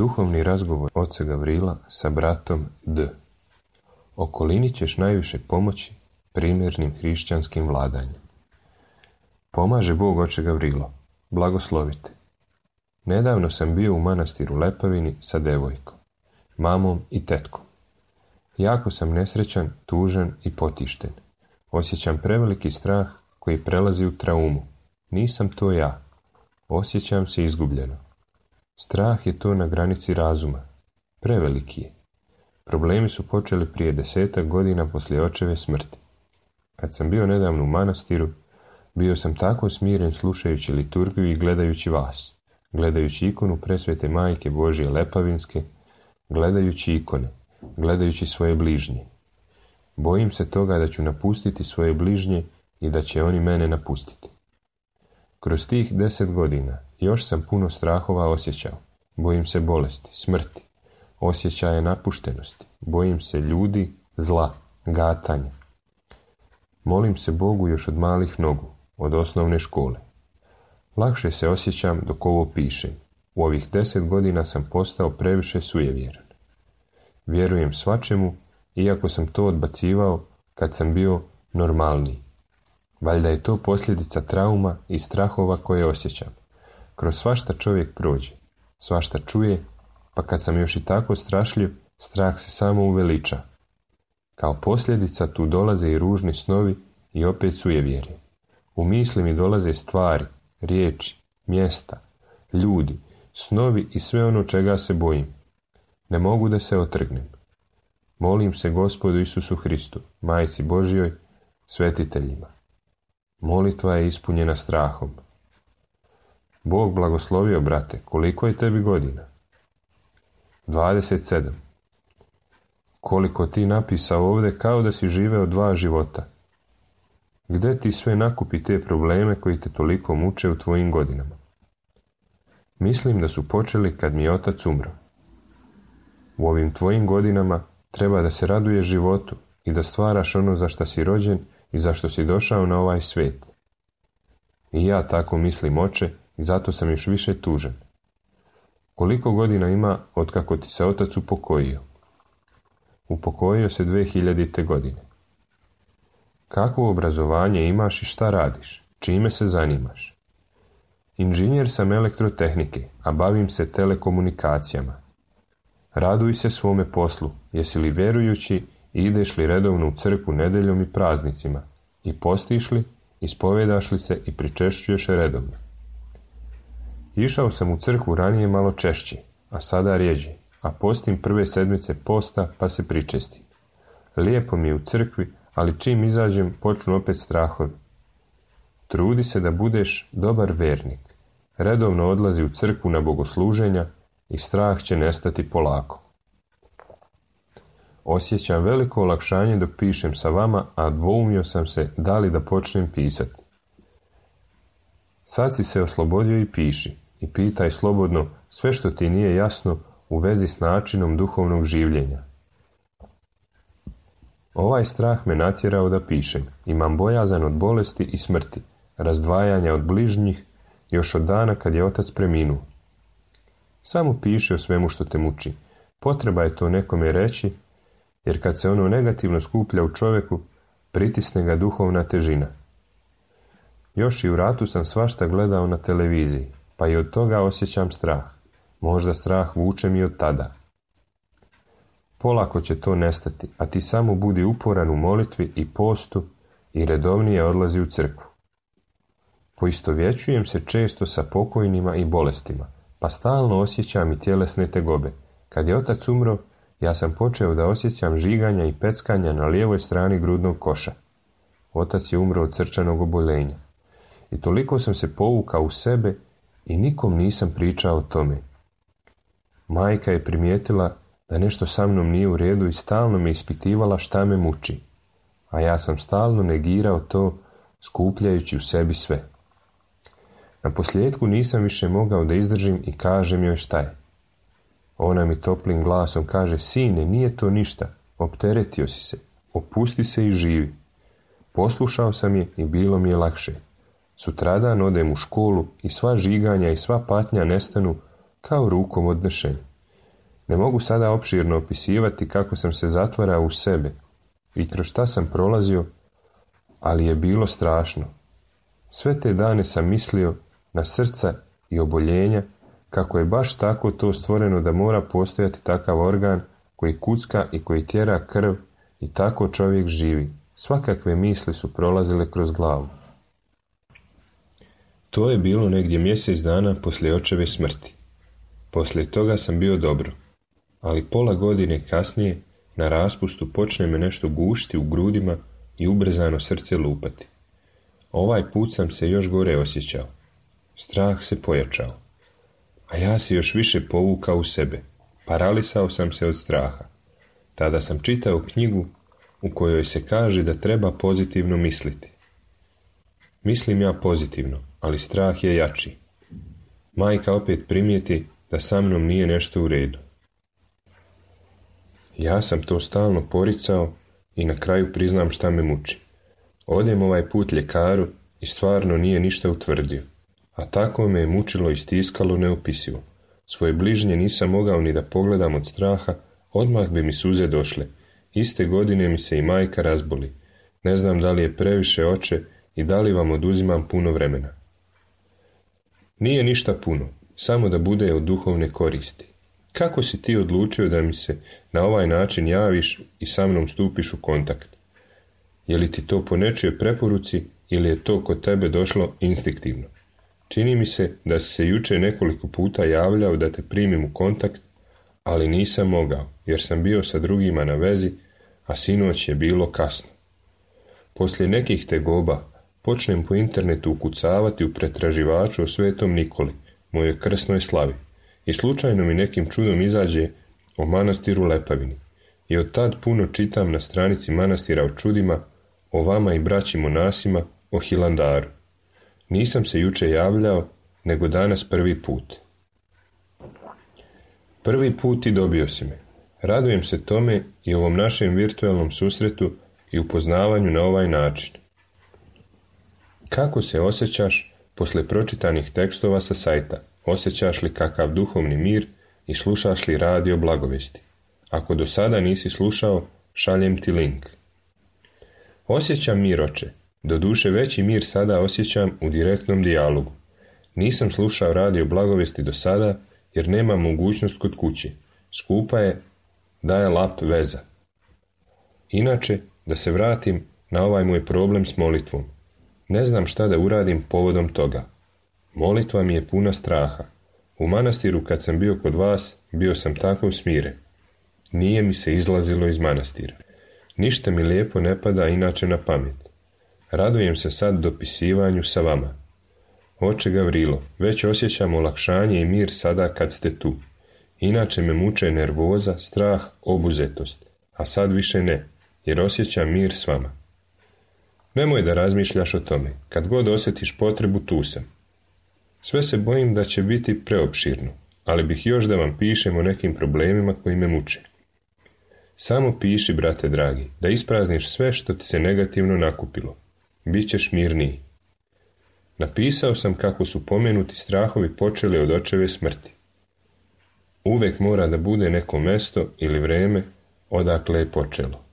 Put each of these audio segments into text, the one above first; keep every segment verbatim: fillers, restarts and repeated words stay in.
Duhovni razgovor oca Gavrila sa bratom D. Okolini ćeš najviše pomoći primjernim hrišćanskim vladanjem. Pomaže Bog, oče Gavrilo, blagoslovite. Nedavno sam bio u manastiru Lepavini sa devojkom, mamom i tetkom. Jako sam nesrećan, tužan i potišten. Osjećam preveliki strah koji prelazi u traumu. Nisam to ja. Osjećam se izgubljeno. Strah je to na granici razuma. Preveliki je. Problemi su počeli prije desetak godina poslije očeve smrti. Kad sam bio nedavno u manastiru, bio sam tako smiren slušajući liturgiju i gledajući vas, gledajući ikonu presvete Majke Božje Lepavinske, gledajući ikone, gledajući svoje bližnje. Bojim se toga da ću napustiti svoje bližnje i da će oni mene napustiti. Kroz tih deset godina još sam puno strahova osjećao. Bojim se bolesti, smrti, osjećaja napuštenosti. Bojim se ljudi, zla, gatanja. Molim se Bogu još od malih nogu, od osnovne škole. Lakše se osjećam dok ovo pišem. U ovih deset godina sam postao previše sujevjeran. Vjerujem svačemu, iako sam to odbacivao kad sam bio normalniji. Valjda je to posljedica trauma i strahova koje osjećam. Kroz svašta čovjek prođe, svašta čuje, pa kad sam još i tako strašljiv, strah se samo uveliča. Kao posljedica tu dolaze i ružni snovi i opet sujevjerje. U misli mi dolaze stvari, riječi, mjesta, ljudi, snovi i sve ono čega se bojim. Ne mogu da se otrgnem. Molim se Gospodu Isusu Hristu, Majci Božjoj, svetiteljima. Molitva je ispunjena strahom. Bog blagoslovio, brate, koliko je tebi godina? dvadeset sedam. Koliko ti napisao ovdje kao da si živeo dva života. Gde ti sve nakupi te probleme koji te toliko muče u tvojim godinama? Mislim da su počeli kad mi je otac umro. U ovim tvojim godinama treba da se raduješ životu i da stvaraš ono za što si rođen i za što si došao na ovaj svijet. I ja tako mislim, oče, i zato sam još više tužan. Koliko godina ima od kako ti se otac upokojio? Upokojio se dve hiljadite godine. Kakvo obrazovanje imaš i šta radiš? Čime se zanimaš? Inženjer sam elektrotehnike, a bavim se telekomunikacijama. Raduj se svome poslu, jesi li vjerujući i ideš li redovno u crkvu nedeljom i praznicima, i postiš li, ispovedaš li se i pričešćuješ redovno. Išao sam u crkvu ranije malo češće, a sada rjeđe, a postim prve sedmice posta pa se pričestim. Lijepo mi je u crkvi, ali čim izađem počnu opet strahovi. Trudi se da budeš dobar vernik. Redovno odlazi u crkvu na bogosluženja i strah će nestati polako. Osjećam veliko olakšanje dok pišem sa vama, a dvoumio sam se da li da počnem pisati. Sad si se oslobodio i piši, i pitaj slobodno sve što ti nije jasno u vezi s načinom duhovnog življenja. Ovaj strah me natjerao da pišem. Imam bojazan od bolesti i smrti, razdvajanja od bližnjih, još od dana kad je otac preminuo. Samo piši o svemu što te muči. Potreba je to nekome reći, jer kad se ono negativno skuplja u čovjeku, pritisne ga duhovna težina. Još i u ratu sam svašta gledao na televiziji, pa i od toga osjećam strah. Možda strah vuče mi od tada. Polako će to nestati, a ti samo budi uporan u molitvi i postu i redovnije odlazi u crkvu. Poistovjećujem se često sa pokojnima i bolestima, pa stalno osjećam i tjelesne tegobe. Kad je otac umro, ja sam počeo da osjećam žiganja i peckanja na lijevoj strani grudnog koša. Otac je umro od srčanog oboljenja. I toliko sam se povukao u sebe i nikom nisam pričao o tome. Majka je primijetila da nešto sa mnom nije u redu i stalno me ispitivala šta me muči, a ja sam stalno negirao to, skupljajući u sebi sve. Na posljedku nisam više mogao da izdržim i kažem joj šta je. Ona mi toplim glasom kaže: sine, nije to ništa, opteretio si se, opusti se i živi. Poslušao sam je i bilo mi je lakše. Sutradan odem u školu i sva žiganja i sva patnja nestanu kao rukom odnešeni. Ne mogu sada opširno opisivati kako sam se zatvarao u sebe i kroz šta sam prolazio, ali je bilo strašno. Sve te dane sam mislio na srca i oboljenja, kako je baš tako to stvoreno da mora postojati takav organ koji kucka i koji tjera krv i tako čovjek živi. Svakakve misli su prolazile kroz glavu. To je bilo negdje mjesec dana poslije očeve smrti. Poslije toga sam bio dobro, ali pola godine kasnije na raspustu počne me nešto gušti u grudima i ubrzano srce lupati. Ovaj put sam se još gore osjećao. Strah se pojačao, a ja se još više povukao u sebe. Paralisao sam se od straha. Tada sam čitao knjigu u kojoj se kaže da treba pozitivno misliti. Mislim ja pozitivno, ali strah je jači. Majka opet primijeti da sa mnom nije nešto u redu. Ja sam to stalno poricao i na kraju priznam šta me muči. Odem ovaj put ljekaru i stvarno nije ništa utvrdio, a tako me je mučilo i stiskalo neopisivo. Svoje bližnje nisam mogao ni da pogledam od straha, odmah bi mi suze došle. Iste godine mi se i majka razboli. Ne znam da li je previše, oče, i da li vam oduzimam puno vremena. Nije ništa puno, samo da bude od duhovne koristi. Kako si ti odlučio da mi se na ovaj način javiš i sa mnom stupiš u kontakt? Je li ti to po nečijoj preporuci ili je to kod tebe došlo instinktivno? Čini mi se da si se jučer nekoliko puta javljao da te primim u kontakt, ali nisam mogao, jer sam bio sa drugima na vezi, a sinoć je bilo kasno. Poslije nekih tegoba počnem po internetu ukucavati u pretraživaču o Svetom Nikoli, mojoj krsnoj slavi, i slučajno mi nekim čudom izađe o manastiru Lepavini. I od tad puno čitam na stranici manastira o čudima, o vama i braći monasima, o Hilandaru. Nisam se juče javljao, nego danas prvi put. Prvi put i dobio si me. Radujem se tome i ovom našem virtualnom susretu i upoznavanju na ovaj način. Kako se osjećaš posle pročitanih tekstova sa sajta? Osjećaš li kakav duhovni mir i slušaš li radio blagovesti? Ako do sada nisi slušao, šaljem ti link. Osjećam mir, oče. Doduše veći mir sada osjećam u direktnom dijalogu. Nisam slušao radio blagovesti do sada, jer nema mogućnost kod kuće. Skupa je daje lap veza. Inače, da se vratim na ovaj moj problem s molitvom. Ne znam šta da uradim povodom toga. Molitva mi je puna straha. U manastiru kad sam bio kod vas, bio sam tako smiren. Nije mi se izlazilo iz manastira. Ništa mi lijepo ne pada inače na pamet. Radujem se sad dopisivanju sa vama. Oče Gavrilo, već osjećam olakšanje i mir sada kad ste tu. Inače me muče nervoza, strah, obuzetost. A sad više ne, jer osjećam mir s vama. Nemoj da razmišljaš o tome. Kad god osjetiš potrebu, tu sam. Sve se bojim da će biti preopširno, ali bih još da vam pišem o nekim problemima koji me muče. Samo piši, brate dragi, da isprazniš sve što ti se negativno nakupilo. Bićeš mirniji. Napisao sam kako su pomenuti strahovi počeli od očeve smrti. Uvek mora da bude neko mesto ili vreme odakle je počelo.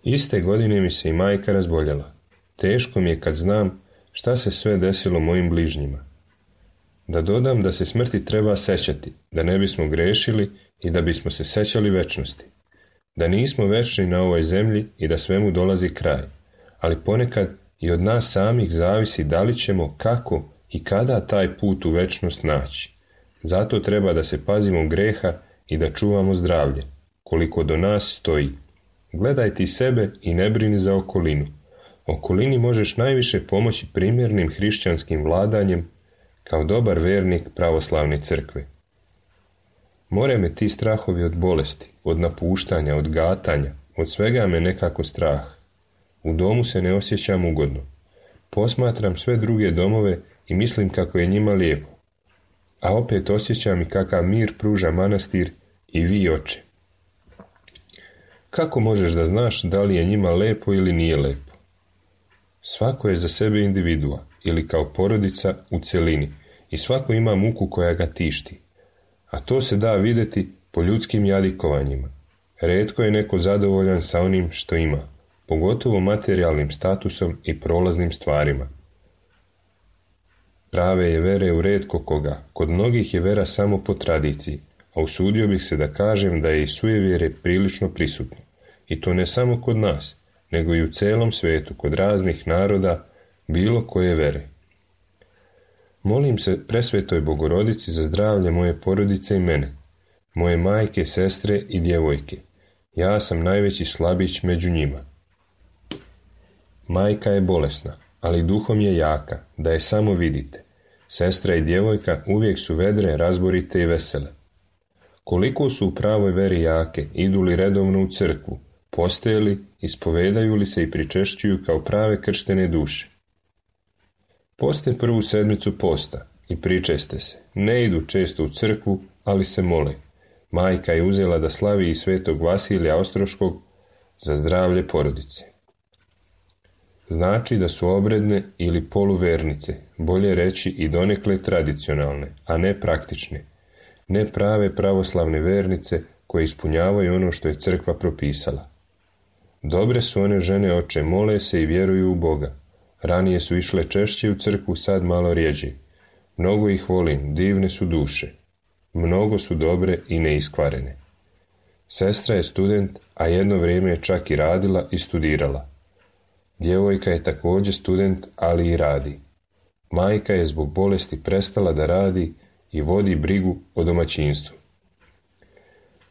Iste godine mi se i majka razboljela. Teško mi je kad znam šta se sve desilo mojim bližnjima. Da dodam da se smrti treba sećati, da ne bismo grešili i da bismo se sećali večnosti. Da nismo večni na ovoj zemlji i da svemu dolazi kraj, ali ponekad i od nas samih zavisi da li ćemo, kako i kada taj put u večnost naći. Zato treba da se pazimo greha i da čuvamo zdravlje, koliko do nas stoji. Gledaj ti sebe i ne brini za okolinu. Okolini možeš najviše pomoći primjernim hrišćanskim vladanjem kao dobar vernik pravoslavne crkve. More me ti strahovi od bolesti, od napuštanja, od gatanja, od svega me nekako strah. U domu se ne osjećam ugodno. Posmatram sve druge domove i mislim kako je njima lijepo. A opet osjećam i kakav mir pruža manastir i vi, oče. Kako možeš da znaš da li je njima lepo ili nije lepo? Svako je za sebe individua ili kao porodica u celini i svako ima muku koja ga tišti. a to se da vidjeti po ljudskim jadikovanjima. Retko je neko zadovoljan sa onim što ima, pogotovo materijalnim statusom i prolaznim stvarima. Prave je vere u retko koga, kod mnogih je vera samo po tradiciji, a usudio bih se da kažem da je i sujevjere prilično prisutno. I to ne samo kod nas, nego i u celom svetu, kod raznih naroda, bilo koje vere. Molim se presvetoj Bogorodici za zdravlje moje porodice i mene, moje majke, sestre i djevojke. Ja sam najveći slabić među njima. Majka je bolesna, ali duhom je jaka, da je samo vidite. Sestra i djevojka uvijek su vedre, razborite i vesele. Koliko su u pravoj veri jake, idu li redovno u crkvu, postaje li, ispovedaju li se i pričešćuju kao prave krštene duše. Poste prvu sedmicu posta i pričeste se. Ne idu često u crkvu, ali se mole. Majka je uzela da slavi i svetog Vasilija Ostroškog za zdravlje porodice. Znači da su obredne ili poluvernice, bolje reći i donekle tradicionalne, a ne praktične. Ne prave pravoslavne vernice koje ispunjavaju ono što je crkva propisala. Dobre su one žene, oče, mole se i vjeruju u Boga. Ranije su išle češće u crkvu, sad malo rjeđe. Mnogo ih volim, divne su duše. Mnogo su dobre i neiskvarene. Sestra je student, a jedno vrijeme je čak i radila i studirala. Djevojka je također student, ali i radi. Majka je zbog bolesti prestala da radi i vodi brigu o domaćinstvu.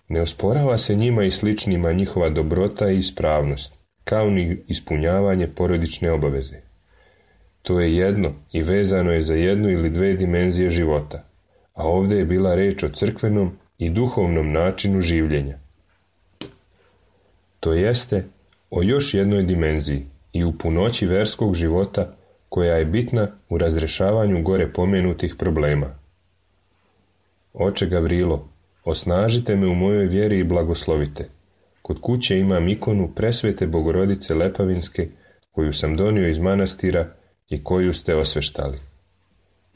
Ne osporava se njima i sličnima njihova dobrota i ispravnost, kao ni ispunjavanje porodične obaveze. To je jedno i vezano je za jednu ili dve dimenzije života, a ovdje je bila reč o crkvenom i duhovnom načinu življenja. To jeste o još jednoj dimenziji i u punoći verskog života koja je bitna u razrešavanju gore pomenutih problema. Oče Gavrilo, osnažite me u mojoj vjeri i blagoslovite. Kod kuće imam ikonu presvete Bogorodice Lepavinske koju sam donio iz manastira i koju ste osveštali.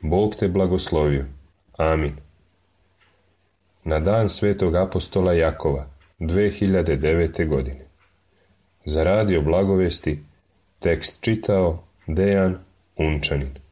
Bog te blagoslovio. Amin. Na dan svetog apostola Jakova, dve hiljade devete. godine. Za radio Blagovesti tekst čitao Dejan Unčanin.